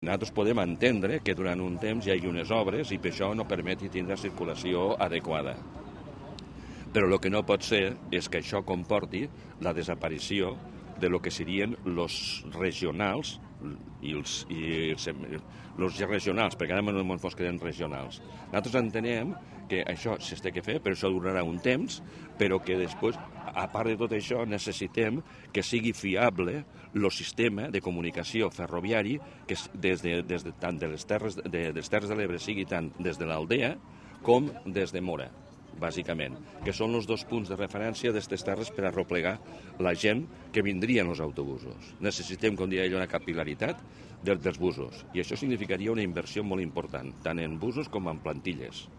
Nosaltres podem entendre que durant un temps hi hagi unes obres i per això no permeti tindre circulació adequada. Però el que no pot ser és que això comporti la desaparició de lo que serien els regionals i els regionals, perquè ara no ens queden regionals. Nosaltres entenem que això s'ha de fer, però això durarà un temps, però que després, a part de tot això, necessitem que sigui fiable el sistema de comunicació ferroviari que tant de les Terres de l'Ebre sigui tant des de l'Aldea com des de Mora, bàsicament, que són els dos punts de referència d'aquestes terres per arreplegar la gent que vindrien els autobusos. Necessitem, com deia ell, una capil·laritat dels busos, i això significaria una inversió molt important, tant en busos com en plantilles.